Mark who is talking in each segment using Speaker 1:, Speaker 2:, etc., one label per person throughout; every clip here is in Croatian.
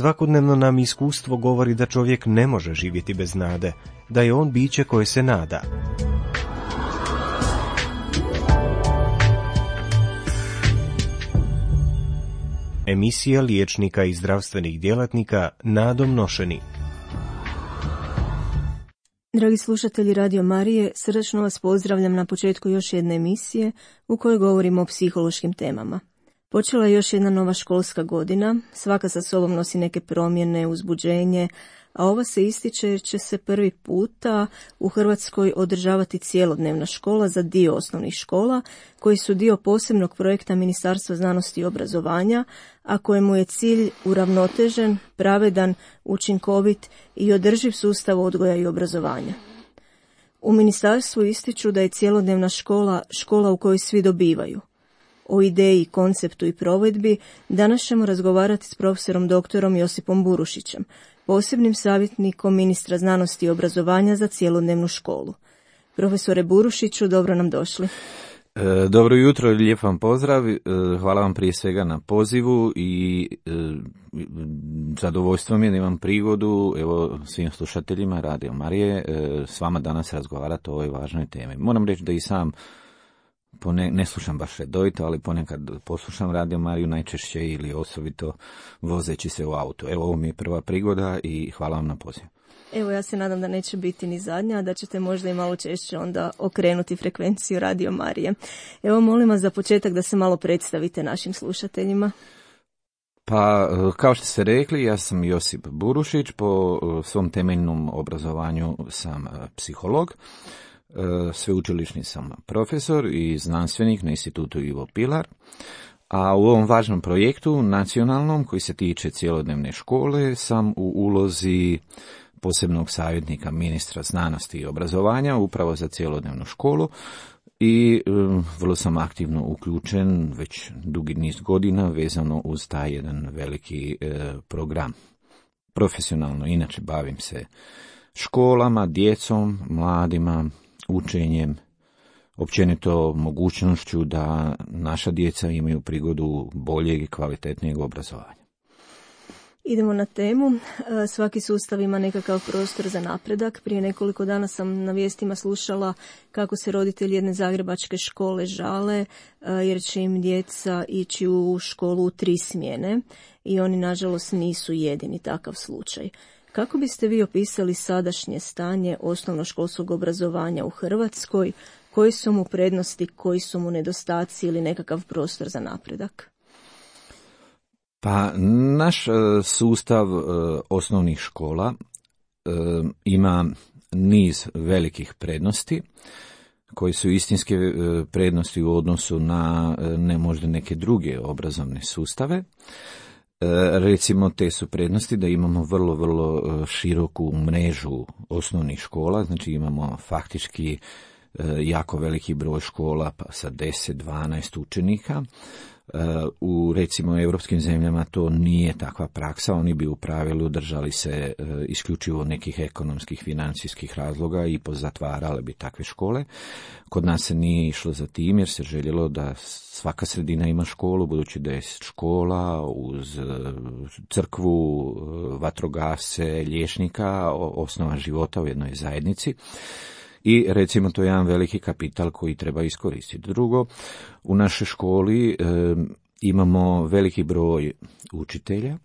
Speaker 1: Svakodnevno nam iskustvo govori da čovjek ne može živjeti bez nade, da je on biće koje se nada. Emisija liječnika i zdravstvenih djelatnika nadom nošeni.
Speaker 2: Dragi slušatelji Radio Marije, srdačno vas pozdravljam na početku još jedne emisije u kojoj govorimo o psihološkim temama. Počela je još jedna nova školska godina, svaka sa sobom nosi neke promjene, uzbuđenje, a ova se ističe jer će se prvi puta u Hrvatskoj održavati cjelodnevna škola za dio osnovnih škola, koji su dio posebnog projekta Ministarstva znanosti i obrazovanja, a kojemu je cilj uravnotežen, pravedan, učinkovit i održiv sustav odgoja i obrazovanja. U ministarstvu ističu da je cjelodnevna škola škola u kojoj svi dobivaju. O ideji, konceptu i provedbi danas ćemo razgovarati s profesorom doktorom Josipom Burušićem, posebnim savjetnikom ministra znanosti i obrazovanja za cjelodnevnu školu. Profesore Burušiću, dobro nam došli.
Speaker 3: Dobro jutro i lijep vam pozdrav. Hvala vam prije svega na pozivu i zadovoljstvo mi je da imam prigodu, evo, svim slušateljima Radio Marije, s vama danas razgovarati o ovoj važnoj temi. Moram reći da i sam ne slušam baš redovito, ali ponekad poslušam Radio Mariju najčešće ili osobito vozeći se u autu. Evo, ovo mi je prva prigoda i hvala vam na poziv.
Speaker 2: Evo, ja se nadam da neće biti ni zadnja, da ćete možda i malo češće onda okrenuti frekvenciju Radio Marije. Evo, molim vas za početak da se malo predstavite našim slušateljima.
Speaker 3: Pa, kao što ste rekli, ja sam Josip Burušić, po svom temeljnom obrazovanju sam psiholog. Sveučilišni sam profesor i znanstvenik na institutu Ivo Pilar, a u ovom važnom projektu nacionalnom koji se tiče cjelodnevne škole sam u ulozi posebnog savjetnika ministra znanosti i obrazovanja upravo za cjelodnevnu školu i vrlo sam aktivno uključen već dugi niz godina vezano uz taj jedan veliki program. Profesionalno inače bavim se školama, djecom, mladima, učenjem, općenito mogućnošću da naša djeca imaju prigodu boljeg i kvalitetnijeg obrazovanja.
Speaker 2: Idemo na temu. Svaki sustav ima nekakav prostor za napredak. Prije nekoliko dana sam na vijestima slušala kako se roditelji jedne zagrebačke škole žale jer će im djeca ići u školu u 3 smjene i oni nažalost nisu jedini takav slučaj. Kako biste vi opisali sadašnje stanje osnovnoškolskog obrazovanja u Hrvatskoj? Koji su mu prednosti, koji su mu nedostaci ili nekakav prostor za napredak?
Speaker 3: Pa, naš sustav osnovnih škola ima niz velikih prednosti, koji su istinske prednosti u odnosu na možda neke druge obrazovne sustave. Recimo, te su prednosti da imamo vrlo široku mrežu osnovnih škola, znači imamo faktički jako veliki broj škola pa sa 10-12 učenika. U recimo europskim zemljama to nije takva praksa, oni bi u pravilu držali se isključivo nekih ekonomskih, financijskih razloga i pozatvarale bi takve škole. Kod nas se nije išlo za tim jer se željelo da svaka sredina ima školu, budući da je škola uz crkvu, vatrogasce, liječnika, osnova života u jednoj zajednici. I recimo to je jedan veliki kapital koji treba iskoristiti. Drugo, u našoj školi imamo veliki broj učitelja,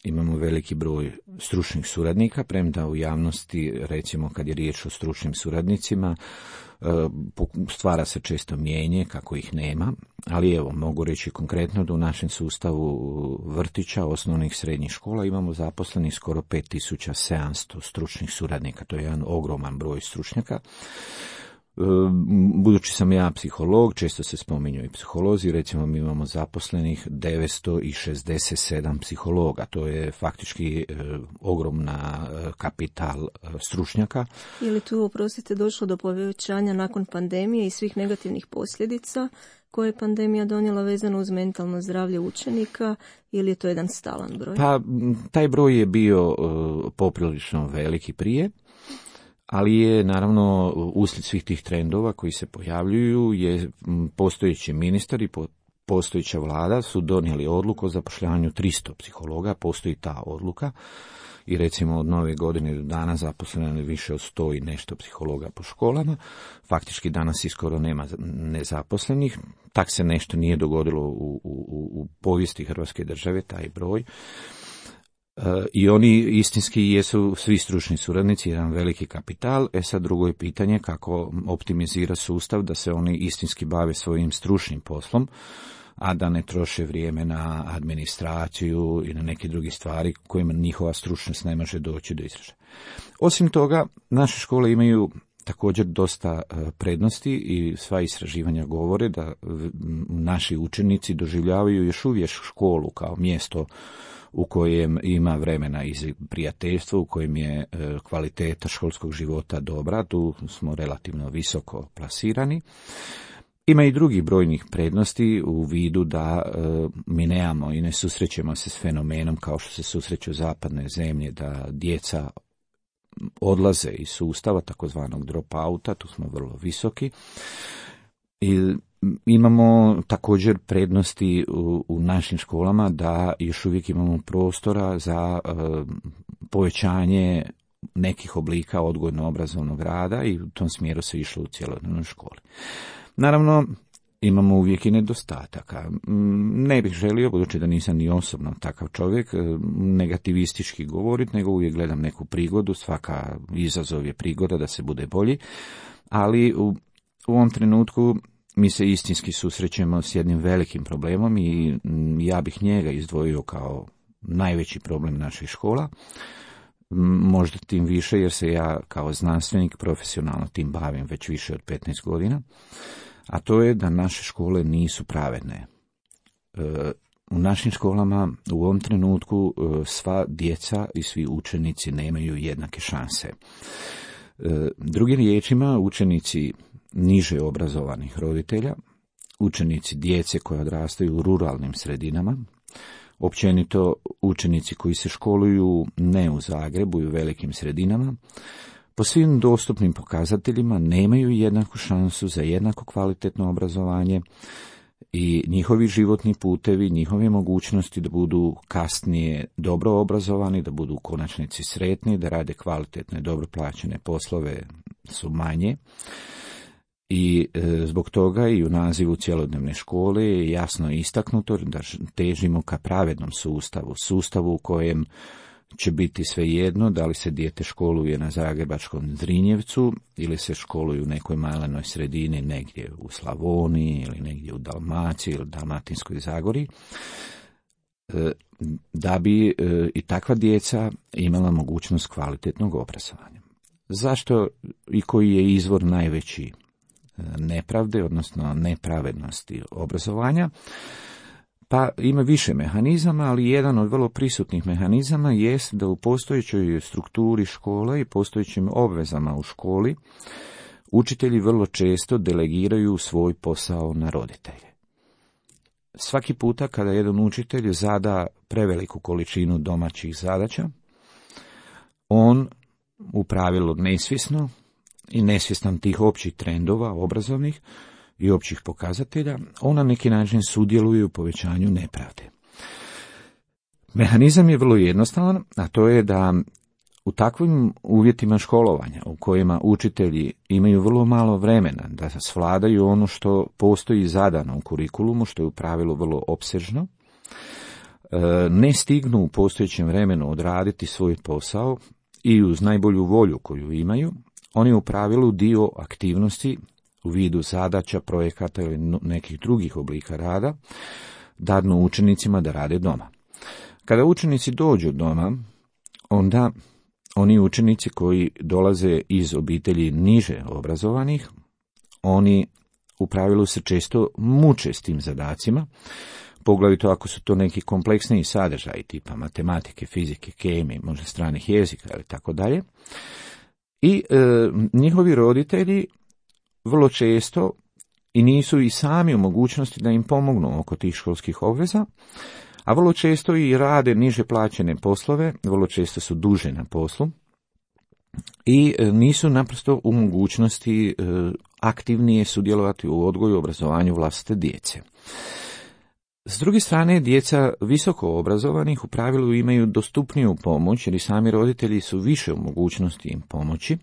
Speaker 3: imamo veliki broj stručnih suradnika, premda u javnosti, recimo kad je riječ o stručnim suradnicima, stvara se često mijenje kako ih nema, ali evo, mogu reći konkretno da u našem sustavu vrtića, osnovnih srednjih škola imamo zaposlenih skoro 5700 stručnih suradnika, to je jedan ogroman broj stručnjaka. Budući sam ja psiholog, često se spominju i psiholozi, recimo mi imamo zaposlenih 967 psihologa, to je faktički ogromna kapital stručnjaka.
Speaker 2: Je li tu, oprostite, došlo do povećanja nakon pandemije i svih negativnih posljedica koje je pandemija donijela vezano uz mentalno zdravlje učenika ili je to jedan stalan broj?
Speaker 3: Pa, taj broj je bio poprilično veliki prije. Ali je naravno uslijed svih tih trendova koji se pojavljuju je postojeći ministar i postojeća vlada su donijeli odluku o zapošljavanju 300 psihologa, postoji ta odluka i recimo od nove godine do dana zaposleno je više od 100 i nešto psihologa po školama. Faktički danas i skoro nema nezaposlenih. Tak se nešto nije dogodilo u povijesti Hrvatske države, taj broj. I oni istinski jesu svi stručni suradnici, jedan veliki kapital. Sad drugo je pitanje kako optimizira sustav da se oni istinski bave svojim stručnim poslom, a da ne troše vrijeme na administraciju i na neke druge stvari kojima njihova stručnost ne može doći do izražaja. Osim toga, naše škole imaju također dosta prednosti i sva istraživanja govore da naši učenici doživljavaju još uvijek školu kao mjesto u kojem ima vremena i prijateljstvo, u kojem je kvaliteta školskog života dobra, tu smo relativno visoko plasirani. Ima i drugih brojnih prednosti u vidu da mi nemamo i ne susrećemo se s fenomenom kao što se susreću zapadne zemlje, da djeca odlaze iz sustava, takozvanog dropouta, tu smo vrlo visoki. I imamo također prednosti u našim školama da još uvijek imamo prostora za povećanje nekih oblika odgojno-obrazovnog rada i u tom smjeru se išlo u cjelodnevnoj školi. Naravno, imamo uvijek i nedostataka. Ne bih želio, budući da nisam ni osobno takav čovjek, negativistički govoriti, nego uvijek gledam neku prigodu, svaka izazov je prigoda da se bude bolji, ali u ovom trenutku mi se istinski susrećemo s jednim velikim problemom i ja bih njega izdvojio kao najveći problem naših škola, možda tim više jer se ja kao znanstvenik profesionalno tim bavim već više od 15 godina, a to je da naše škole nisu pravedne. U našim školama u ovom trenutku sva djeca i svi učenici nemaju jednake šanse. Drugim riječima, učenici niže obrazovanih roditelja, učenici djece koje odrastaju u ruralnim sredinama, općenito učenici koji se školuju ne u Zagrebu i u velikim sredinama, po svim dostupnim pokazateljima nemaju jednaku šansu za jednako kvalitetno obrazovanje i njihovi životni putevi, njihove mogućnosti da budu kasnije dobro obrazovani, da budu u konačnici sretni, da rade kvalitetne, dobro plaćene poslove su manje. I zbog toga i u nazivu cjelodnevne škole je jasno istaknuto da težimo ka pravednom sustavu u kojem će biti svejedno da li se dijete školuje na zagrebačkom Zrinjevcu ili se školuje u nekoj malenoj sredini negdje u Slavoniji ili negdje u Dalmaciji ili Dalmatinskoj Zagori, da bi i takva djeca imala mogućnost kvalitetnog obrazovanja. Zašto i koji je izvor najveći nepravde, odnosno nepravednosti obrazovanja? Pa ima više mehanizama, ali jedan od vrlo prisutnih mehanizama jest da u postojećoj strukturi škola i postojećim obvezama u školi učitelji vrlo često delegiraju svoj posao na roditelje. Svaki puta kada jedan učitelj zada preveliku količinu domaćih zadaća, on u pravilu nesvjesno i nesvjestan tih općih trendova obrazovnih i općih pokazatelja, on na neki način sudjeluje u povećanju nepravde. Mehanizam je vrlo jednostavan, a to je da u takvim uvjetima školovanja u kojima učitelji imaju vrlo malo vremena da svladaju ono što postoji zadano u kurikulumu, što je u pravilu vrlo opsežno, ne stignu u postojećem vremenu odraditi svoj posao i uz najbolju volju koju imaju, oni u pravilu dio aktivnosti u vidu zadaća, projekata ili nekih drugih oblika rada dadnu učenicima da rade doma. Kada učenici dođu doma, onda oni učenici koji dolaze iz obitelji niže obrazovanih, oni u pravilu se često muče s tim zadacima, poglavito ako su to neki kompleksniji sadržaji tipa matematike, fizike, kemije, možda stranih jezika ili tako dalje. I njihovi roditelji vrlo često i nisu i sami u mogućnosti da im pomognu oko tih školskih obveza, a vrlo često i rade niže plaćene poslove, vrlo često su duže na poslu i nisu naprosto u mogućnosti aktivnije sudjelovati u odgoju i obrazovanju vlastite djece. S druge strane, djeca visoko obrazovanih u pravilu imaju dostupniju pomoć jer i sami roditelji su više u mogućnosti im pomoći.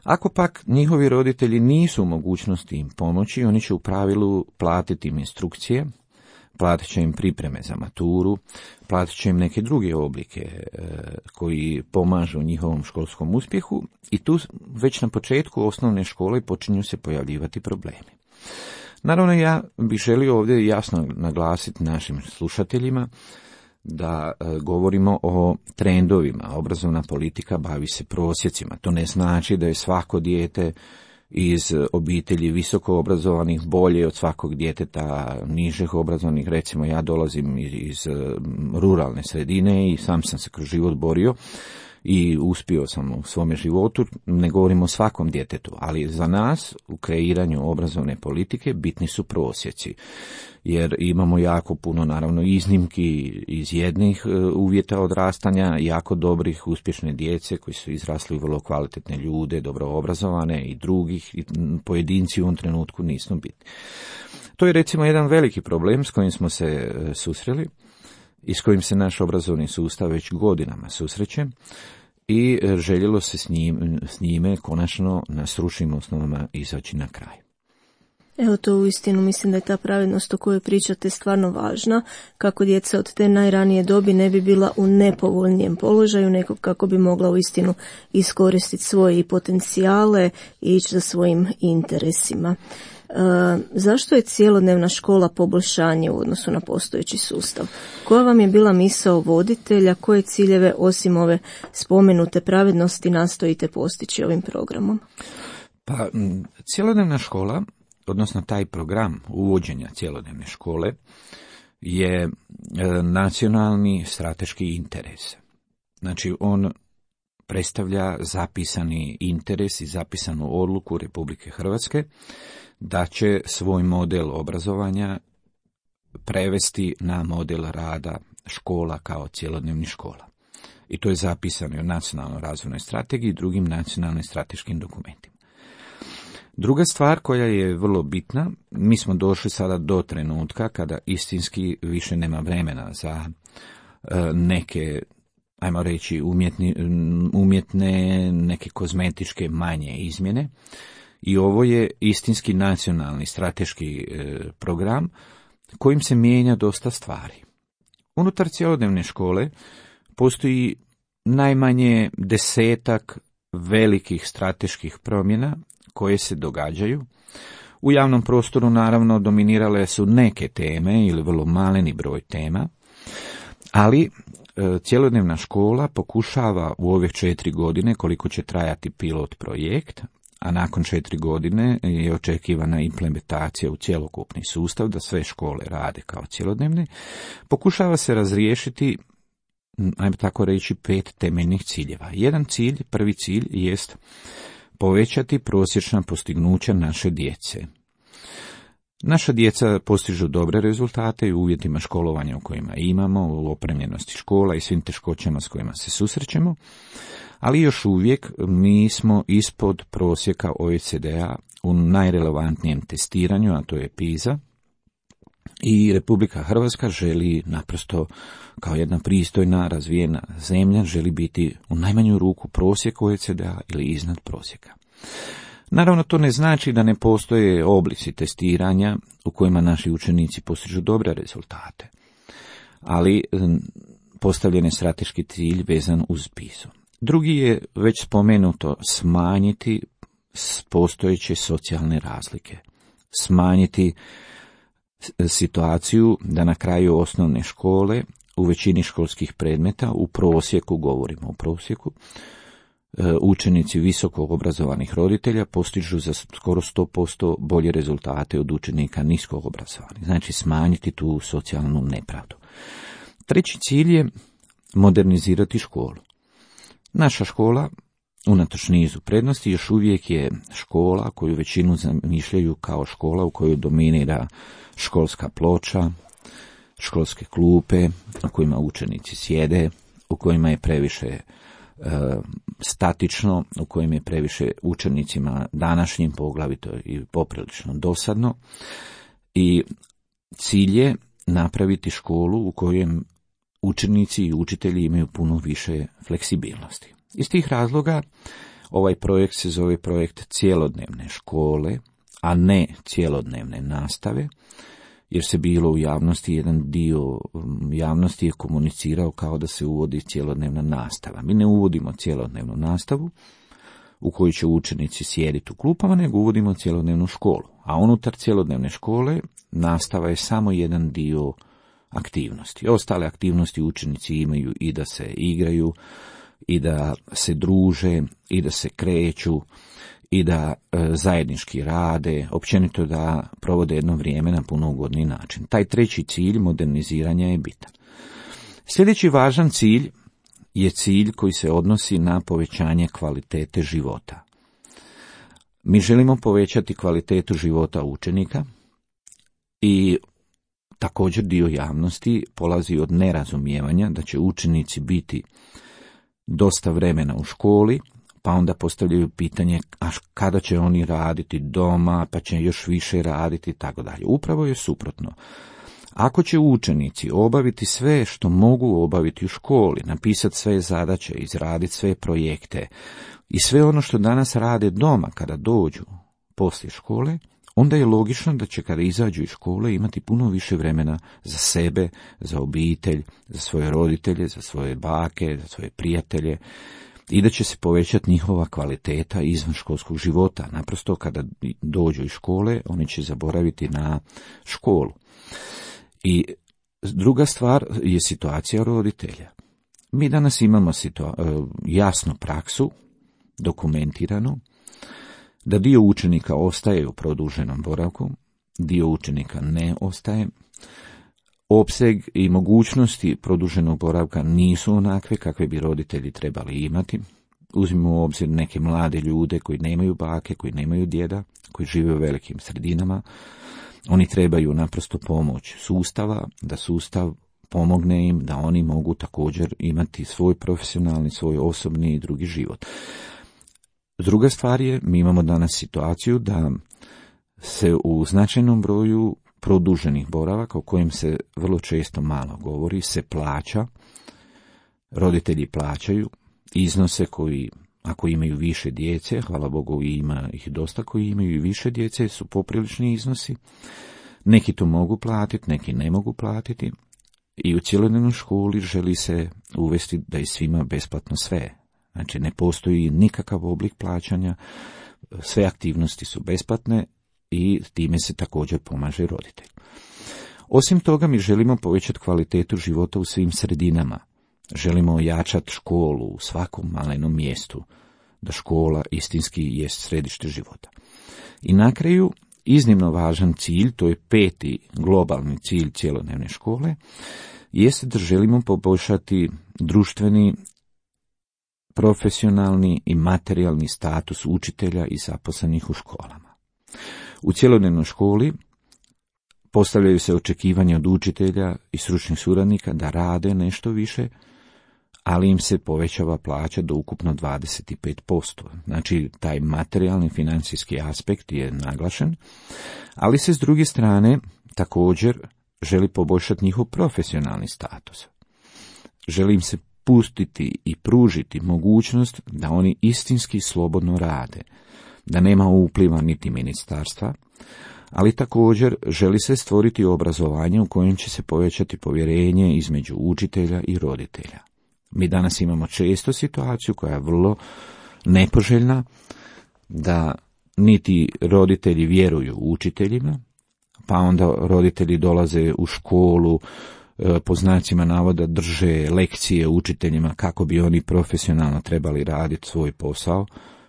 Speaker 3: Ako pak njihovi roditelji nisu u mogućnosti im pomoći, oni će u pravilu platiti im instrukcije, platit će im pripreme za maturu, platit će im neke druge oblike koji pomažu njihovom školskom uspjehu i tu već na početku osnovne škole počinju se pojavljivati problemi. Naravno, ja bih želio ovdje jasno naglasiti našim slušateljima da govorimo o trendovima. Obrazovna politika bavi se prosjecima. To ne znači da je svako dijete iz obitelji visoko obrazovanih bolje od svakog djeteta nižih obrazovanih. Recimo, ja dolazim iz ruralne sredine i sam sam se kroz život borio i uspio sam u svome životu. Ne govorimo o svakom djetetu, ali za nas u kreiranju obrazovne politike bitni su prosjeci, jer imamo jako puno naravno iznimki iz jednih uvjeta odrastanja, jako dobrih, uspješne djece koji su izrasli u vrlo kvalitetne ljude, dobro obrazovane, i drugih, i pojedinci u ovom trenutku nisu bitni. To je recimo jedan veliki problem s kojim smo se susreli i s kojim se naš obrazovni sustav već godinama susreće i željelo se s njime konačno na stručnim osnovama izaći na kraj.
Speaker 2: Evo, to uistinu mislim da je ta pravednost o kojoj pričate stvarno važna, kako djeca od te najranije dobi ne bi bila u nepovoljnijem položaju, nego kako bi mogla uistinu iskoristiti svoje potencijale i ići za svojim interesima. Zašto je cjelodnevna škola poboljšanje u odnosu na postojeći sustav? Koja vam je bila misao voditelja, koje ciljeve osim ove spomenute pravednosti nastojite postići ovim programom?
Speaker 3: Pa, cjelodnevna škola, odnosno taj program uvođenja cjelodnevne škole, je nacionalni strateški interes. Znači, on predstavlja zapisani interes i zapisanu odluku Republike Hrvatske da će svoj model obrazovanja prevesti na model rada škola kao cjelodnevnih škola. I to je zapisano u Nacionalnoj razvojnoj strategiji i drugim nacionalnim strateškim dokumentima. Druga stvar koja je vrlo bitna, mi smo došli sada do trenutka kada istinski više nema vremena za neke, ajmo reći, umjetne, neke kozmetičke manje izmjene. I ovo je istinski nacionalni strateški program kojim se mijenja dosta stvari. Unutar cjelodnevne škole postoji najmanje 10 velikih strateških promjena koje se događaju. U javnom prostoru naravno dominirale su neke teme ili vrlo maleni broj tema, ali cjelodnevna škola pokušava u ove 4 godine, koliko će trajati pilot projekt, a nakon 4 godine je očekivana implementacija u cjelokupni sustav, da sve škole rade kao cjelodnevne, pokušava se razriješiti, ajmo tako reći, 5 temeljnih ciljeva. Jedan cilj, prvi cilj, jest povećati prosječna postignuća naše djece. Naša djeca postižu dobre rezultate i u uvjetima školovanja u kojima imamo, u opremljenosti škola i svim teškoćama s kojima se susrećemo, ali još uvijek mi smo ispod prosjeka OECD-a u najrelevantnijem testiranju, a to je PISA, i Republika Hrvatska želi naprosto kao jedna pristojna, razvijena zemlja, želi biti u najmanju ruku prosjek OECD-a ili iznad prosjeka. Naravno, to ne znači da ne postoje oblici testiranja u kojima naši učenici postižu dobre rezultate, ali postavljen je strateški cilj vezan uz PISA. Drugi je već spomenuto smanjiti postojeće socijalne razlike, smanjiti situaciju da na kraju osnovne škole u većini školskih predmeta, u prosjeku, govorimo o prosjeku, učenici visoko obrazovanih roditelja postižu za skoro 100% bolje rezultate od učenika nisko obrazovanih. Znači smanjiti tu socijalnu nepravdu. Treći cilj je modernizirati školu. Naša škola, unatoč nizu prednosti, još uvijek je škola koju većinu zamišljaju kao škola u kojoj dominira školska ploča, školske klupe u kojima učenici sjede, u kojima je previše statično, u kojim je previše učenicima današnjim poglavito i poprilično dosadno. I cilj je napraviti školu u kojem učenici i učitelji imaju puno više fleksibilnosti. Iz tih razloga ovaj projekt se zove projekt cjelodnevne škole, a ne cjelodnevne nastave, jer se bilo u javnosti, jedan dio javnosti je komunicirao kao da se uvodi cjelodnevna nastava. Mi ne uvodimo cjelodnevnu nastavu u kojoj će učenici sjediti u klupama, nego uvodimo cjelodnevnu školu. A unutar cjelodnevne škole nastava je samo jedan dio aktivnosti. Ostale aktivnosti učenici imaju i da se igraju, i da se druže, i da se kreću, i da zajednički rade, općenito da provode jedno vrijeme na puno ugodniji način. Taj treći cilj moderniziranja je bitan. Sljedeći važan cilj je cilj koji se odnosi na povećanje kvalitete života. Mi želimo povećati kvalitetu života učenika i također dio javnosti polazi od nerazumijevanja da će učenici biti dosta vremena u školi, pa onda postavljaju pitanje kada će oni raditi doma, pa će još više raditi i tako dalje. Upravo je suprotno. Ako će učenici obaviti sve što mogu obaviti u školi, napisati sve zadaće, izraditi sve projekte i sve ono što danas rade doma kada dođu poslije škole, onda je logično da će kada izađu iz škole imati puno više vremena za sebe, za obitelj, za svoje roditelje, za svoje bake, za svoje prijatelje i da će se povećati njihova kvaliteta izvan školskog života. Naprosto kada dođu iz škole, oni će zaboraviti na školu. I druga stvar je situacija roditelja. Mi danas imamo jasnu praksu, dokumentiranu, da dio učenika ostaje u produženom boravku, dio učenika ne ostaje. Opseg i mogućnosti produženog boravka nisu onakve kakve bi roditelji trebali imati. Uzmimo u obzir neke mlade ljude koji nemaju bake, koji nemaju djeda, koji žive u velikim sredinama. Oni trebaju naprosto pomoć sustava, da sustav pomogne im, da oni mogu također imati svoj profesionalni, svoj osobni i drugi život. Druga stvar je, mi imamo danas situaciju da se u značajnom broju produženih boravaka, o kojem se vrlo često malo govori, se plaća, roditelji plaćaju iznose koji, ako imaju više djece, hvala Bogu ima ih dosta koji imaju i više djece, su poprilični iznosi. Neki to mogu platiti, neki ne mogu platiti. I u cjelodnevnoj školi želi se uvesti da je svima besplatno sve. Znači ne postoji nikakav oblik plaćanja, sve aktivnosti su besplatne i time se također pomaže roditelj. Osim toga mi želimo povećati kvalitetu života u svim sredinama. Želimo ojačati školu u svakom malenom mjestu, da škola istinski jest središte života. I na kraju, iznimno važan cilj, to je 5. globalni cilj cjelodnevne škole, jeste da želimo poboljšati društveni, profesionalni i materijalni status učitelja i zaposlenih u školama. U cjelodnevnoj školi postavljaju se očekivanja od učitelja i stručnih suradnika da rade nešto više, ali im se povećava plaća do ukupno 25%. Znači, taj materijalni financijski aspekt je naglašen, ali se s druge strane također želi poboljšati njihov profesionalni status. Želi im se pustiti i pružiti mogućnost da oni istinski slobodno rade, da nema upliva niti ministarstva, ali također želi se stvoriti obrazovanje u kojem će se povećati povjerenje između učitelja i roditelja. Mi danas imamo često situaciju koja je vrlo nepoželjna, da niti roditelji vjeruju učiteljima, pa onda roditelji dolaze u školu, po znacima navoda drže lekcije učiteljima kako bi oni profesionalno trebali raditi svoj posao,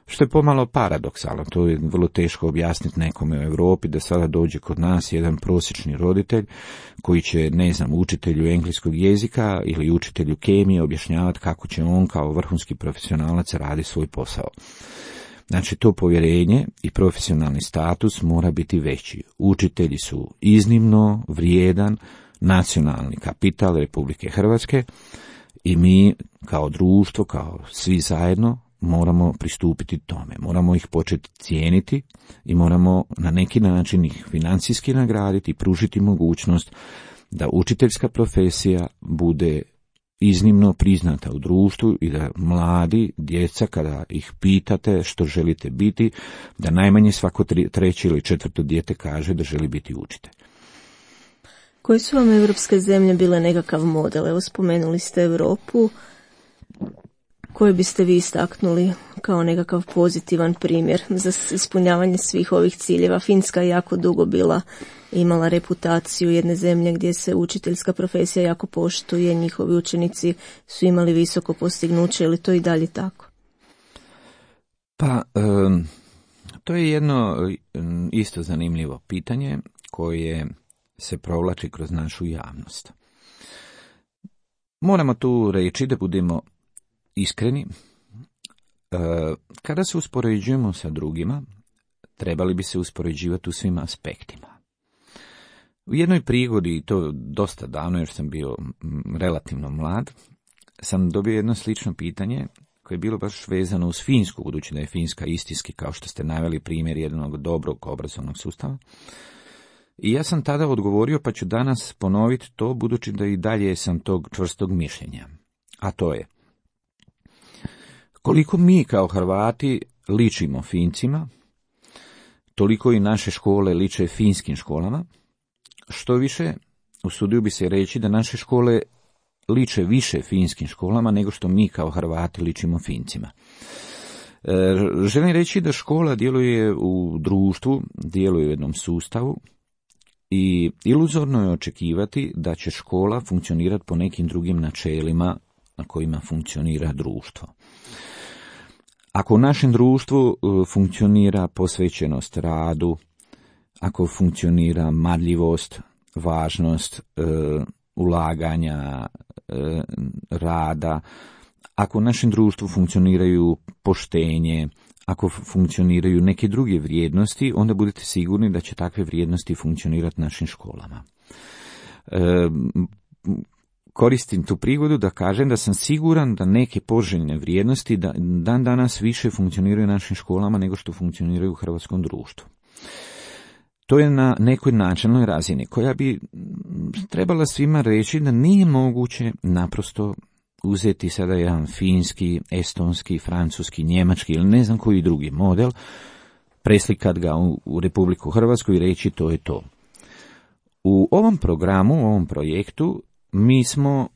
Speaker 3: što je pomalo paradoksalno. To je vrlo teško objasniti nekome u Europi da sada dođe kod nas jedan prosječni roditelj koji će, učitelju engleskog jezika ili učitelju kemije objašnjavati kako će on kao vrhunski profesionalac raditi svoj posao. Znači, to povjerenje i profesionalni status mora biti veći. Učitelji su iznimno vrijedan nacionalni kapital Republike Hrvatske i mi kao društvo, kao svi zajedno, moramo pristupiti tome. Moramo ih početi cijeniti i moramo na neki način ih financijski nagraditi i pružiti mogućnost da učiteljska profesija bude iznimno priznata u društvu i da mladi, djeca, kada ih pitate što želite biti, da najmanje svako treće ili četvrto dijete kaže da želi biti učitelj.
Speaker 2: Koje su vam europske zemlje bile nekakav model? Evo, spomenuli ste Europu. Koje biste vi istaknuli kao nekakav pozitivan primjer za ispunjavanje svih ovih ciljeva? Finska je jako dugo imala reputaciju jedne zemlje gdje se učiteljska profesija jako poštuje, njihovi učenici su imali visoko postignuće, ili to i dalje tako?
Speaker 3: Pa, to je jedno isto zanimljivo pitanje koje se provlači kroz našu javnost. Moramo tu reći da budemo iskreni. Kada se uspoređujemo sa drugima, trebali bi se uspoređivati u svim aspektima. U jednoj prigodi, i to dosta davno jer sam bio relativno mlad, sam dobio jedno slično pitanje koje je bilo baš vezano uz Finsku, budući da je Finska istinski, kao što ste naveli, primjer jednog dobrog obrazovnog sustava. I ja sam tada odgovorio, pa ću danas ponoviti to, budući da i dalje sam tog čvrstog mišljenja. A to je: koliko mi kao Hrvati ličimo Fincima, toliko i naše škole liče finskim školama. Što više, usudio bi se reći da naše škole liče više finskim školama nego što mi kao Hrvati ličimo Fincima. Želim reći da škola djeluje u društvu, djeluje u jednom sustavu i iluzorno je očekivati da će škola funkcionirati po nekim drugim načelima na kojima funkcionira društvo. Ako u našem društvu funkcionira posvećenost radu, ako funkcionira marljivost, važnost ulaganja, rada, ako u našem društvu funkcioniraju poštenje, ako funkcioniraju neke druge vrijednosti, onda budete sigurni da će takve vrijednosti funkcionirati našim školama. Koristim tu prigodu da kažem da sam siguran da neke poželjne vrijednosti dan danas više funkcioniraju u našim školama nego što funkcioniraju u hrvatskom društvu. To je na nekoj načelnoj razini koja bi trebala svima reći da nije moguće naprosto uzeti sada jedan finski, estonski, francuski, njemački ili ne znam koji drugi model, preslikat ga u Republiku Hrvatsku i reći to je to. U ovom programu, u ovom projektu, mi smo,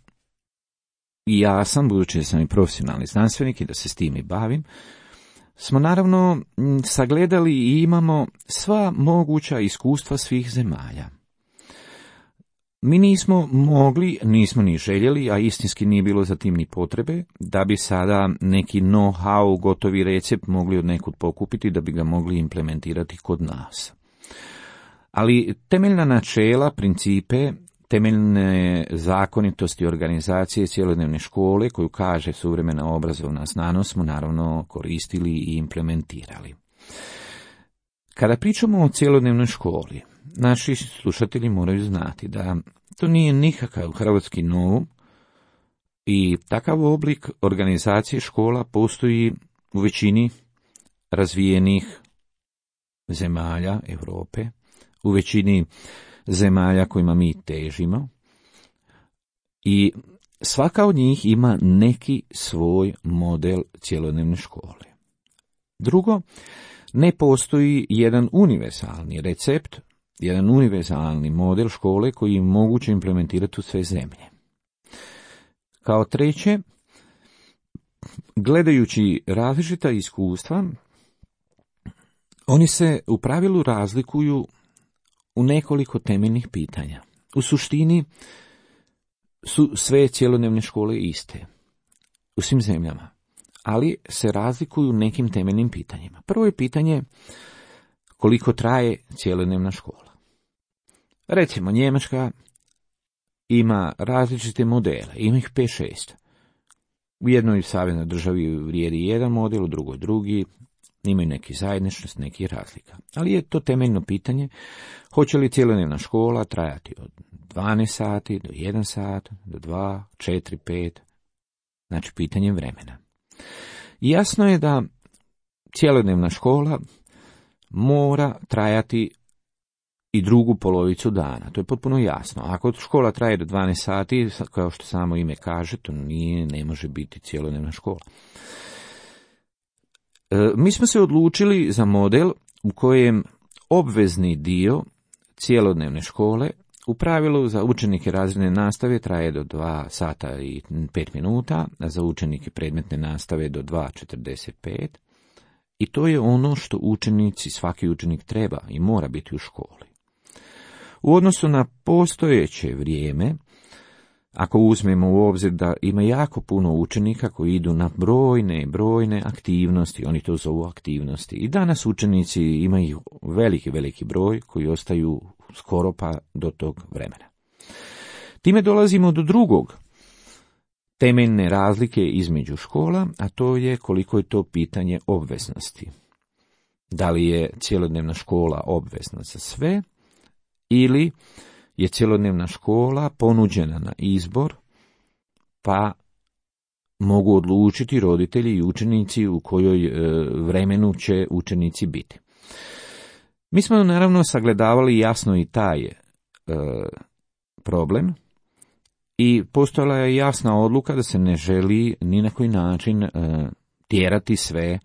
Speaker 3: i ja sam, budući da sam i profesionalni znanstvenik i da se s tim i bavim, smo naravno sagledali i imamo sva moguća iskustva svih zemalja. Mi nismo mogli, nismo ni željeli, a istinski nije bilo za tim ni potrebe, da bi sada neki know-how, gotovi recept mogli od nekud pokupiti da bi ga mogli implementirati kod nas. Ali temeljna načela, principe, temeljne zakonitosti organizacije cjelodnevne škole koju kaže suvremena obrazovna znanost smo naravno koristili i implementirali. Kada pričamo o cjelodnevnoj školi, naši slušatelji moraju znati da to nije nikakav hrvatski novum i takav oblik organizacije škola postoji u većini razvijenih zemalja Europe, u većini zemalja kojima mi težimo i svaka od njih ima neki svoj model cjelodnevne škole. Drugo, ne postoji jedan univerzalni recept, jedan univerzalni model škole koji je moguće implementirati u sve zemlje. Kao treće, gledajući različita iskustva, oni se u pravilu razlikuju u nekoliko temeljnih pitanja. U suštini su sve cjelodnevne škole iste u svim zemljama, ali se razlikuju nekim temeljnim pitanjima. Prvo je pitanje koliko traje cjelodnevna škola. Recimo, Njemačka ima različite modele, ima ih 5-6. U jednoj saveznoj državi vrijedi jedan model, u drugoj drugi, imaju neki zajedničnost, neki razlika. Ali je to temeljno pitanje, hoće li cjelodnevna škola trajati od 12 sati do 1 sat, do 2, 4, 5, znači pitanje vremena. Jasno je da cjelodnevna škola mora trajati i drugu polovicu dana. To je potpuno jasno. Ako škola traje do 12 sati, kao što samo ime kaže, to ne može biti cjelodnevna škola. Mi smo se odlučili za model u kojem obvezni dio cjelodnevne škole u pravilu za učenike razredne nastave traje do 2 sata i 5 minuta, a za učenike predmetne nastave do 2:45. I to je ono što učenici, svaki učenik treba i mora biti u školi. U odnosu na postojeće vrijeme, ako uzmemo u obzir da ima jako puno učenika koji idu na brojne aktivnosti, oni to zovu aktivnosti. I danas učenici imaju veliki broj koji ostaju skoro pa do tog vremena. Time dolazimo do drugog temeljne razlike između škola, a to je koliko je to pitanje obveznosti. Da li je cjelodnevna škola obvezna za sve ili je cjelodnevna škola ponuđena na izbor, pa mogu odlučiti roditelji i učenici u kojoj vremenu će učenici biti. Mi smo naravno sagledavali jasno i taj problem i postojala je jasna odluka da se ne želi ni na koji način tjerati sve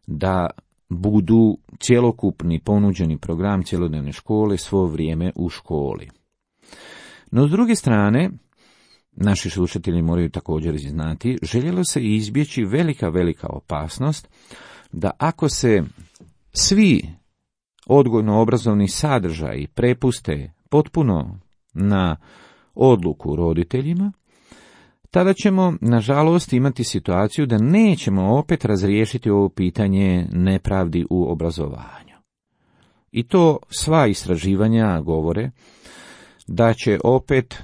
Speaker 3: da budu cjelokupni ponuđeni program cjelodnevne škole svo vrijeme u školi. No, s druge strane, naši slušatelji moraju također znati, željelo se izbjeći velika opasnost da ako se svi odgojno-obrazovni sadržaji prepuste potpuno na odluku roditeljima, tada ćemo, nažalost, imati situaciju da nećemo opet razriješiti ovo pitanje nepravdi u obrazovanju. I to sva istraživanja govore da će opet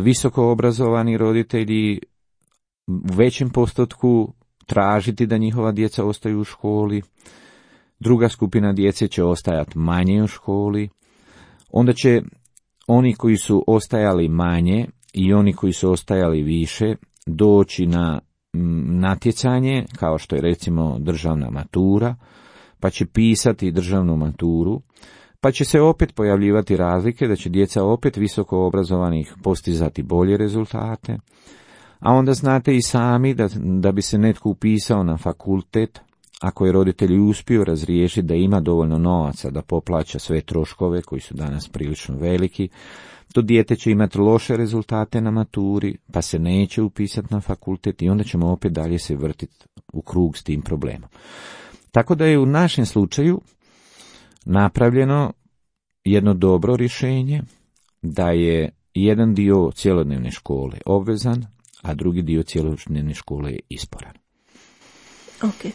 Speaker 3: visoko obrazovani roditelji u većem postotku tražiti da njihova djeca ostaju u školi, druga skupina djece će ostajati manje u školi, onda će oni koji su ostajali manje i oni koji su ostajali više doći na natjecanje, kao što je recimo državna matura, pa će pisati državnu maturu, pa će se opet pojavljivati razlike da će djeca opet visoko obrazovanih postizati bolje rezultate, a onda znate i sami da bi se netko upisao na fakultet, ako je roditelj uspio razriješiti da ima dovoljno novaca da poplaća sve troškove koji su danas prilično veliki, to dijete će imati loše rezultate na maturi, pa se neće upisati na fakultet i onda ćemo opet dalje se vrtiti u krug s tim problemom. Tako da je u našem slučaju napravljeno jedno dobro rješenje, da je jedan dio cjelodnevne škole obvezan, a drugi dio cjelodnevne škole je izboran.
Speaker 2: Ok.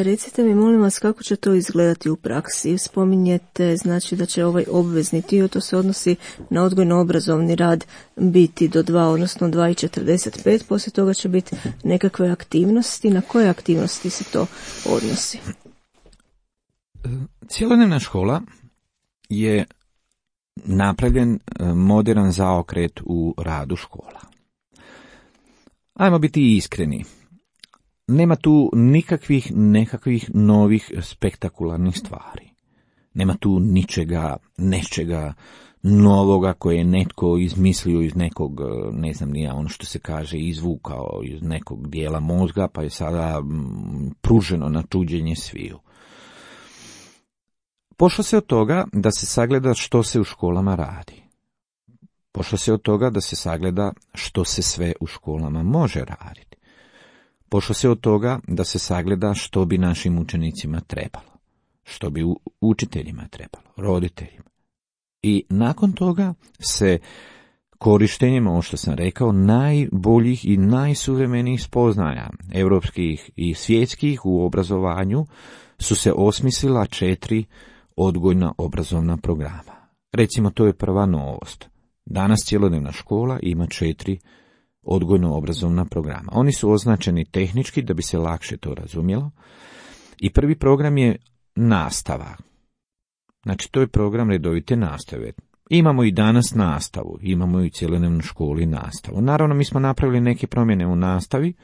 Speaker 2: Recite mi, molim vas, kako će to izgledati u praksi? Spominjete, znači, da će ovaj obvezni dio, to se odnosi na odgojno-obrazovni rad, biti do 2, odnosno 2:45, poslije toga će biti nekakve aktivnosti. Na koje aktivnosti se to odnosi?
Speaker 3: Cjelodnevna škola je napravljen moderan zaokret u radu škola. Ajmo biti iskreni. Nema tu nekakvih novih spektakularnih stvari. Nema tu nečega novoga koje je netko izmislio iz nekog, ne znam ni ja, ono što se kaže, izvukao iz nekog dijela mozga, pa je sada pruženo na čuđenje sviju. Pošlo se od toga da se sagleda što se u školama radi. Pošlo se od toga da se sagleda što se sve u školama može raditi. Pošlo se od toga da se sagleda što bi našim učenicima trebalo, što bi učiteljima trebalo, roditeljima. I nakon toga se korištenjem, ovo što sam rekao, najboljih i najsuvremenijih spoznaja europskih i svjetskih u obrazovanju su se osmislila 4 odgojno-obrazovna programa. Recimo, to je prva novost. Danas cjelodnevna škola ima 4 odgojno-obrazovna programa. Oni su označeni tehnički da bi se lakše to razumjelo. I prvi program je nastava. Znači, to je program redovite nastave. Imamo i danas nastavu, imamo i cjelodnevnu školu i nastavu. Naravno, mi smo napravili neke promjene u nastavi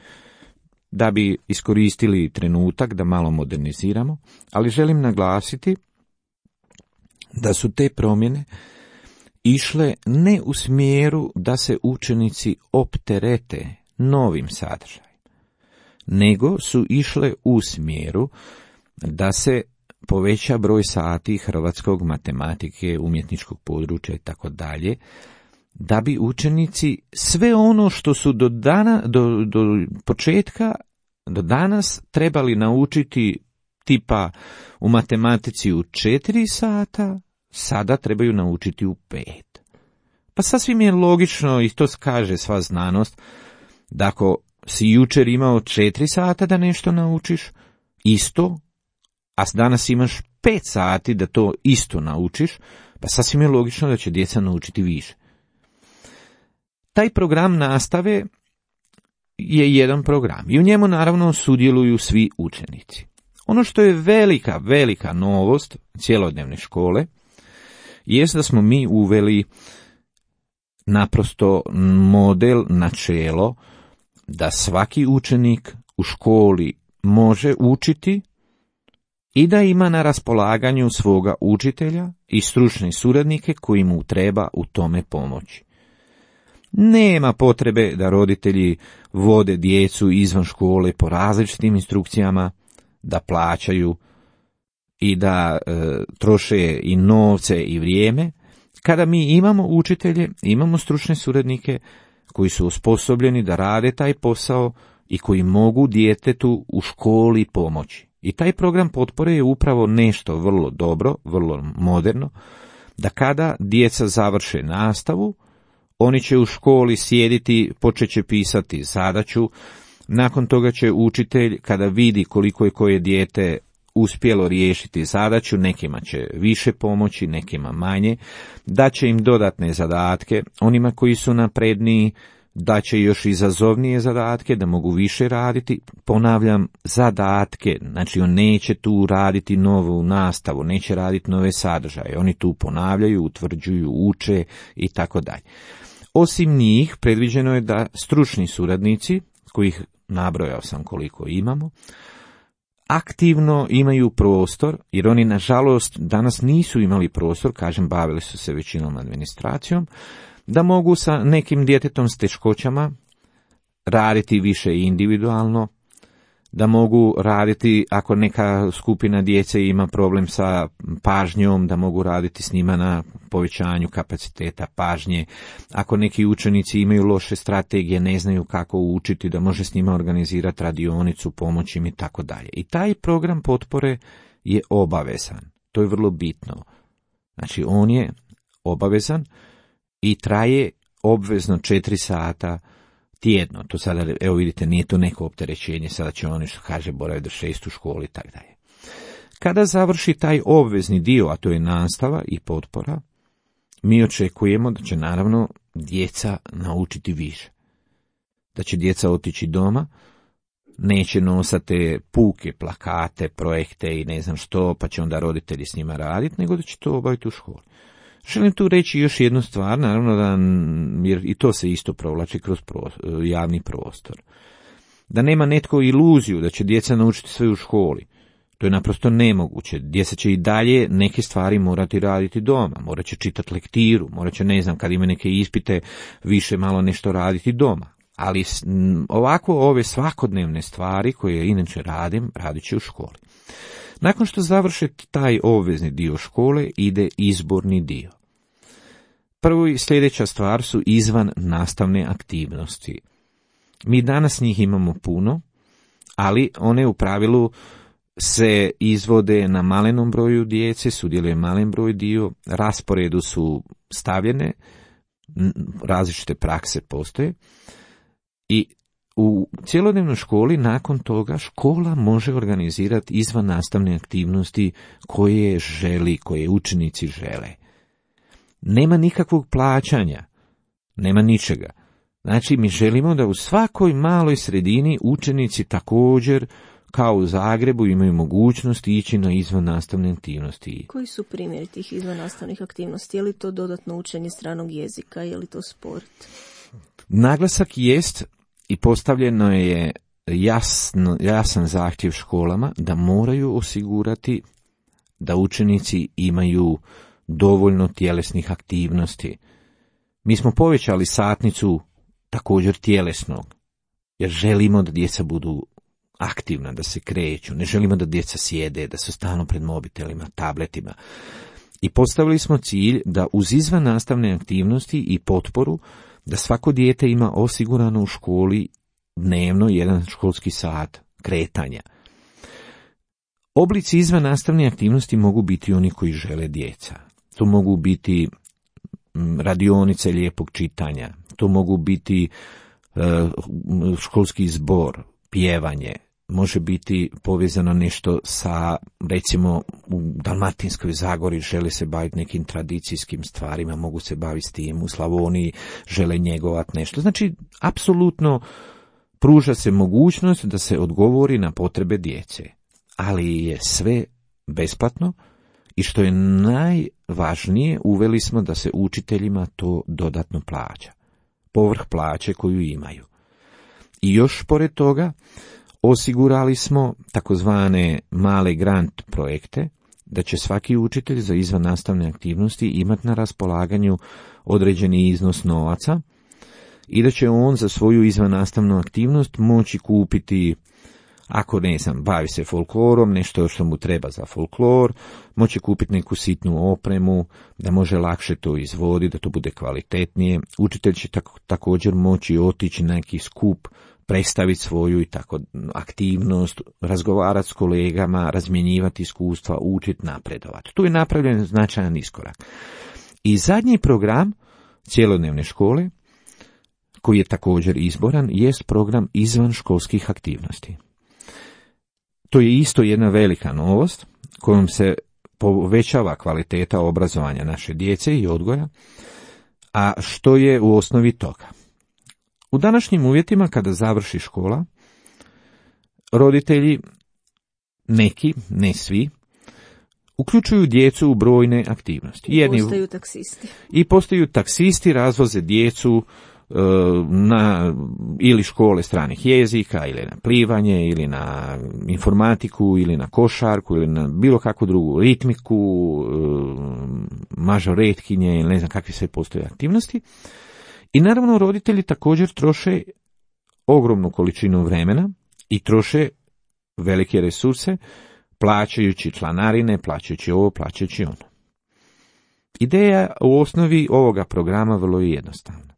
Speaker 3: da bi iskoristili trenutak da malo moderniziramo, ali želim naglasiti da su te promjene išle ne u smjeru da se učenici opterete novim sadržajem, nego su išle u smjeru da se poveća broj sati hrvatskog, matematike, umjetničkog područja i tako dalje, da bi učenici sve ono što su do početka, do danas trebali naučiti tipa u matematici u 4 sata, sada trebaju naučiti u 5. Pa sasvim je logično, i to kaže sva znanost, da ako si jučer imao 4 sata da nešto naučiš, isto, a danas imaš 5 sati da to isto naučiš, pa sasvim je logično da će djeca naučiti više. Taj program nastave je jedan program i u njemu naravno sudjeluju svi učenici. Ono što je velika novost cjelodnevne škole jest da smo mi uveli naprosto model, načelo da svaki učenik u školi može učiti i da ima na raspolaganju svoga učitelja i stručne suradnike koji mu treba u tome pomoći. Nema potrebe da roditelji vode djecu izvan škole po različitim instrukcijama, da plaćaju i da troše i novce i vrijeme, kada mi imamo učitelje, imamo stručne suradnike koji su osposobljeni da rade taj posao i koji mogu djetetu u školi pomoći. I taj program potpore je upravo nešto vrlo dobro, vrlo moderno, da kada djeca završe nastavu, oni će u školi sjediti, počet će pisati zadaću, nakon toga će učitelj, kada vidi koliko je koje dijete uspjelo riješiti zadaću, nekima će više pomoći, nekima manje, daće im dodatne zadatke, onima koji su napredniji daće još izazovnije zadatke, da mogu više raditi. Ponavljam, zadatke, znači on neće tu raditi novu nastavu, neće raditi nove sadržaje, oni tu ponavljaju, utvrđuju, uče i tako dalje. Osim njih, predviđeno je da stručni suradnici, kojih nabrojao sam koliko imamo, aktivno imaju prostor, jer oni nažalost danas nisu imali prostor, kažem, bavili su se većinom administracijom, da mogu sa nekim djetetom s teškoćama raditi više individualno, da mogu raditi ako neka skupina djece ima problem sa pažnjom, da mogu raditi s njima na povećanju kapaciteta pažnje, ako neki učenici imaju loše strategije, ne znaju kako učiti, da može s njima organizirati radionicu, pomoći im i tako dalje. I taj program potpore je obavezan, to je vrlo bitno. Znači on je obavezan i traje obvezno 4 sata tjedno. To sada, evo vidite, nije to neko opterećenje, sada će oni, što kaže, boraviti do 6 u školi i tako dalje. Kada završi taj obvezni dio, a to je nastava i potpora, mi očekujemo da će naravno djeca naučiti više. Da će djeca otići doma, neće nosati puke, plakate, projekte i ne znam što, pa će onda roditelji s njima raditi, nego da će to obaviti u školi. Želim tu reći još jednu stvar, naravno da, jer i to se isto provlači kroz javni prostor. Da nema netko iluziju da će djeca naučiti sve u školi. To je naprosto nemoguće. Djeca će i dalje neke stvari morati raditi doma. Morat će čitati lektiru, morat će, ne znam, kad ima neke ispite, više malo nešto raditi doma. Ali ovako ove svakodnevne stvari koje inače radit će u školi. Nakon što završe taj obvezni dio škole, ide izborni dio. Prvo i sljedeća stvar su izvan nastavne aktivnosti. Mi danas njih imamo puno, ali one u pravilu se izvode na malenom broju djece, sudjeluje malen broj dio, rasporedu su stavljene, različite prakse postoje i u cjelodnevnoj školi nakon toga škola može organizirati izvan nastavne aktivnosti koje želi, koje učenici žele. Nema nikakvog plaćanja, nema ničega. Znači mi želimo da u svakoj maloj sredini učenici također kao u Zagrebu imaju mogućnost ići na izvan nastavne aktivnosti.
Speaker 2: Koji su primjeri tih izvan nastavnih aktivnosti? Je li to dodatno učenje stranog jezika, je li to sport?
Speaker 3: Naglasak jest i postavljeno je jasan zahtjev školama da moraju osigurati da učenici imaju dovoljno tjelesnih aktivnosti. Mi smo povećali satnicu također tjelesnog, jer želimo da djeca budu aktivna, da se kreću, ne želimo da djeca sjede, da su stalno pred mobitelima, tabletima. I postavili smo cilj da uz izvan nastavne aktivnosti i potporu, da svako dijete ima osigurano u školi dnevno jedan školski sat kretanja. Oblici izvan nastavne aktivnosti mogu biti oni koji žele djeca. To mogu biti radionice lijepog čitanja, to mogu biti školski zbor, pjevanje, može biti povezano nešto sa, recimo, u Dalmatinskoj Zagori žele se baviti nekim tradicijskim stvarima, mogu se baviti s tim, u Slavoniji žele njegovati nešto. Znači, apsolutno pruža se mogućnost da se odgovori na potrebe djece, ali je sve besplatno i što je najvažnije, uveli smo da se učiteljima to dodatno plaća, povrh plaće koju imaju. I još pored toga, osigurali smo takozvane male grant projekte, da će svaki učitelj za izvannastavne aktivnosti imati na raspolaganju određeni iznos novaca i da će on za svoju izvannastavnu aktivnost moći kupiti, ako ne znam, bavi se folklorom, nešto što mu treba za folklor, moći kupiti neku sitnu opremu, da može lakše to izvoditi, da to bude kvalitetnije. Učitelj će također moći otići na neki skup, predstaviti svoju i tako aktivnost, razgovarati s kolegama, razmjenjivati iskustva, učiti, napredovati. Tu je napravljen značajan iskorak. I zadnji program cjelodnevne škole, koji je također izboran, jest program izvanškolskih aktivnosti. To je isto jedna velika novost kojom se povećava kvaliteta obrazovanja naše djece i odgoja, a što je u osnovi toga? U današnjim uvjetima, kada završi škola, roditelji, neki, ne svi, uključuju djecu u brojne aktivnosti.
Speaker 2: Postaju taksisti.
Speaker 3: I postaju taksisti, razvoze djecu na ili škole stranih jezika, ili na plivanje, ili na informatiku, ili na košarku, ili na bilo kakvu drugu ritmiku, mažoretkinje, ili ne znam kakve sve postoje aktivnosti. I naravno roditelji također troše ogromnu količinu vremena i troše velike resurse, plaćajući članarine, plaćajući ovo, plaćajući ono. Ideja u osnovi ovoga programa vrlo je jednostavna.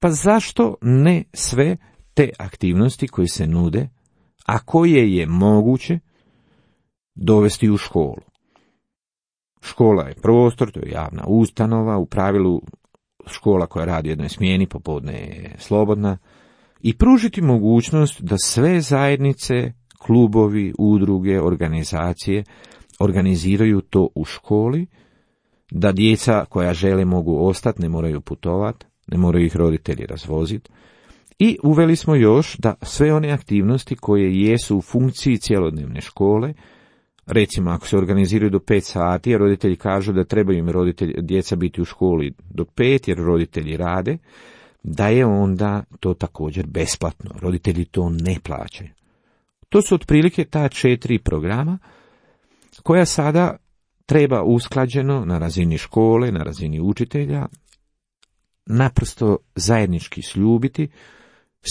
Speaker 3: Pa zašto ne sve te aktivnosti koje se nude, a koje je moguće dovesti u školu? Škola je prostor, to je javna ustanova, u pravilu škola koja radi u jednoj smjeni, popodne je slobodna, i pružiti mogućnost da sve zajednice, klubovi, udruge, organizacije organiziraju to u školi, da djeca koja žele mogu ostati, ne moraju putovati, ne moraju ih roditelji razvoziti. I uveli smo još da sve one aktivnosti koje jesu u funkciji cjelodnevne škole, recimo ako se organiziraju do 5 sati, a roditelji kažu da trebaju im djeca biti u školi do 5 jer roditelji rade, da je onda to također besplatno. Roditelji to ne plaćaju. To su otprilike ta 4 programa koja sada treba usklađeno na razini škole, na razini učitelja, naprosto zajednički sljubiti,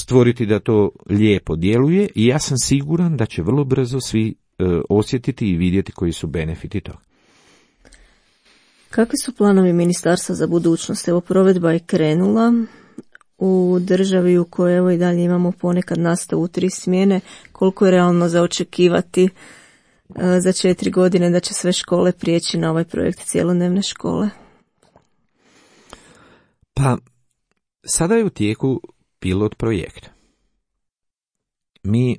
Speaker 3: stvoriti da to lijepo djeluje i ja sam siguran da će vrlo brzo svi osjetiti i vidjeti koji su benefiti toga.
Speaker 2: Kakvi su planovi ministarstva za budućnost? Evo, provedba je krenula u državi u kojoj evo i dalje imamo ponekad nastavu u 3 smjene. Koliko je realno za očekivati za 4 godine da će sve škole prijeći na ovaj projekt cjelodnevne škole?
Speaker 3: Pa, sada je u tijeku pilot projekt. Mi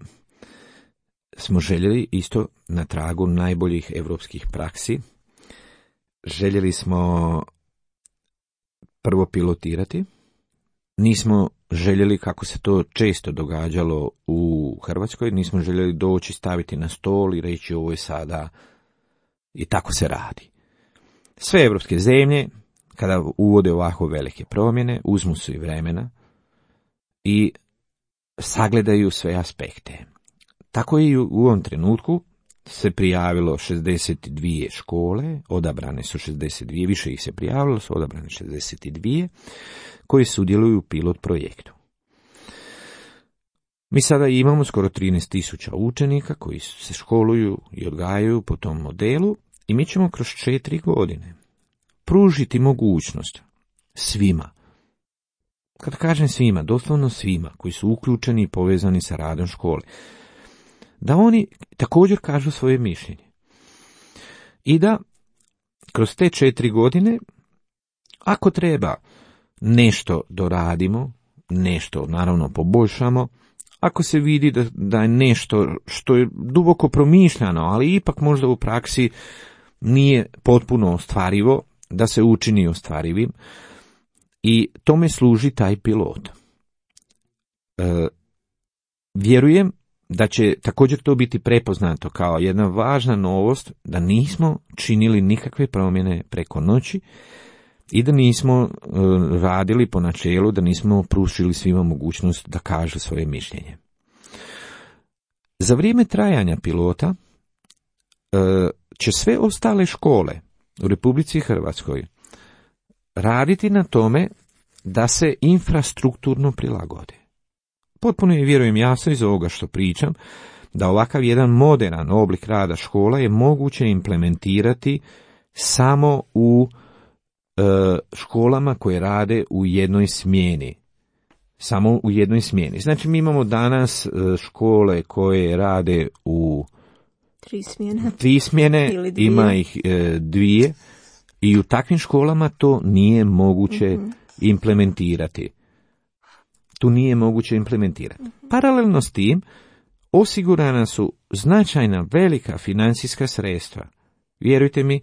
Speaker 3: smo željeli isto na tragu najboljih europskih praksi. Željeli smo prvo pilotirati. Nismo željeli, kako se to često događalo u Hrvatskoj, nismo željeli doći, staviti na stol i reći ovo je sada i tako se radi. Sve europske zemlje, kada uvode ovako velike promjene, uzmu se i vremena i sagledaju sve aspekte. Tako i u ovom trenutku se prijavilo 62 škole, odabrane su 62, više ih se prijavilo, su odabrane 62, koji sudjeluju u pilot projektu. Mi sada imamo skoro 13.000 učenika koji se školuju i odgajaju po tom modelu i mi ćemo kroz 4 godine pružiti mogućnost svima, kad kažem svima, doslovno svima koji su uključeni i povezani sa radom škole, da oni također kažu svoje mišljenje. I da kroz te 4 godine, ako treba, nešto doradimo, nešto naravno poboljšamo, ako se vidi da je nešto što je duboko promišljano, ali ipak možda u praksi nije potpuno ostvarivo, da se učini ostvarivim, i tome služi taj pilot. Vjerujem da će također to biti prepoznato kao jedna važna novost, da nismo činili nikakve promjene preko noći i da nismo radili po načelu, da nismo pružili svima mogućnost da kažu svoje mišljenje. Za vrijeme trajanja pilota će sve ostale škole u Republici Hrvatskoj raditi na tome da se infrastrukturno prilagode. Potpuno je, vjerujem, jasno iz ovoga što pričam, da ovakav jedan moderan oblik rada škola je moguće implementirati samo u školama koje rade u jednoj smjeni. Samo u jednoj smjeni. Znači, mi imamo danas škole koje rade u 3 smjene, ima ih 2, i u takvim školama to nije moguće implementirati. Tu nije moguće implementirati. Paralelno s tim, osigurana su značajna velika financijska sredstva. Vjerujte mi,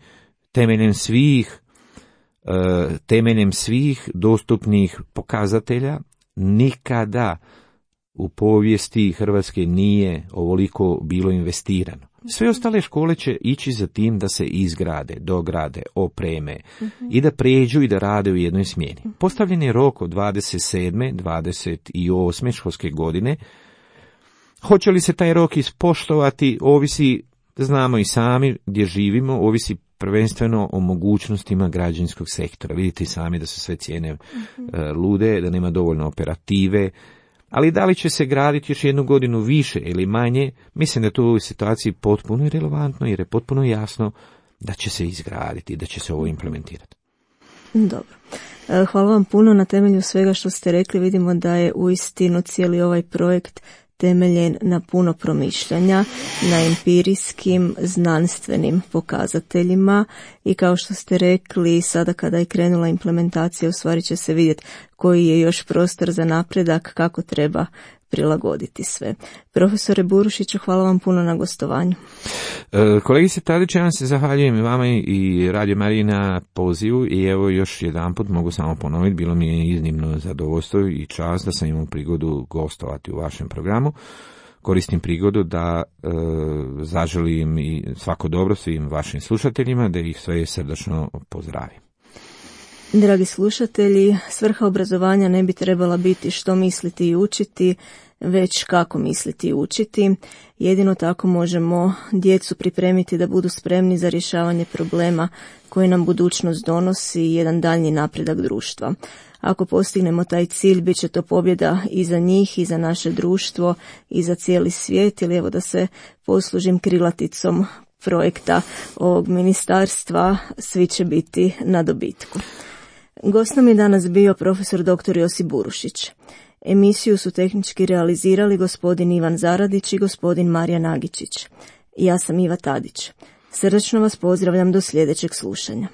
Speaker 3: temeljem svih dostupnih pokazatelja, nikada u povijesti Hrvatske nije ovoliko bilo investirano. Sve ostale škole će ići za tim da se izgrade, dograde, opreme i da pređu i da rade u jednoj smjeni. Postavljen je rok od 27. 28. školske godine. Hoće li se taj rok ispoštovati, ovisi, znamo i sami gdje živimo, ovisi prvenstveno o mogućnostima građevinskog sektora. Vidite i sami da su sve cijene lude, da nema dovoljno operative, ali da li će se graditi još 1 godinu više ili manje, mislim da je to u ovoj situaciji potpuno irelevantno, jer je potpuno jasno da će se izgraditi, da će se ovo implementirati.
Speaker 2: Dobro. Hvala vam puno. Na temelju svega što ste rekli vidimo da je uistinu cijeli ovaj projekt temeljen na puno promišljanja, na empirijskim, znanstvenim pokazateljima, i kao što ste rekli, sada kada je krenula implementacija, u stvari će se vidjeti koji je još prostor za napredak, kako treba prilagoditi sve. Profesore Burušiću, hvala vam puno na gostovanju.
Speaker 3: Kolegice Tadić, ja vam se zahvaljujem i vama i Radio Mariji na pozivu, i evo još jedanput mogu samo ponoviti, bilo mi je iznimno zadovoljstvo i čast da sam imao prigodu gostovati u vašem programu. Koristim prigodu da zaželim i svako dobro svim vašim slušateljima, da ih sve srdačno pozdravim.
Speaker 2: Dragi slušatelji, svrha obrazovanja ne bi trebala biti što misliti i učiti, već kako misliti i učiti. Jedino tako možemo djecu pripremiti da budu spremni za rješavanje problema koje nam budućnost donosi i jedan daljnji napredak društva. Ako postignemo taj cilj, bit će to pobjeda i za njih, i za naše društvo, i za cijeli svijet, ili evo da se poslužim krilaticom projekta ovog ministarstva, svi će biti na dobitku. Gost nam je danas bio profesor dr. Josip Burušić. Emisiju su tehnički realizirali gospodin Ivan Zaradić i gospodin Marijan Nagičić. Ja sam Iva Tadić. Srdačno vas pozdravljam do sljedećeg slušanja.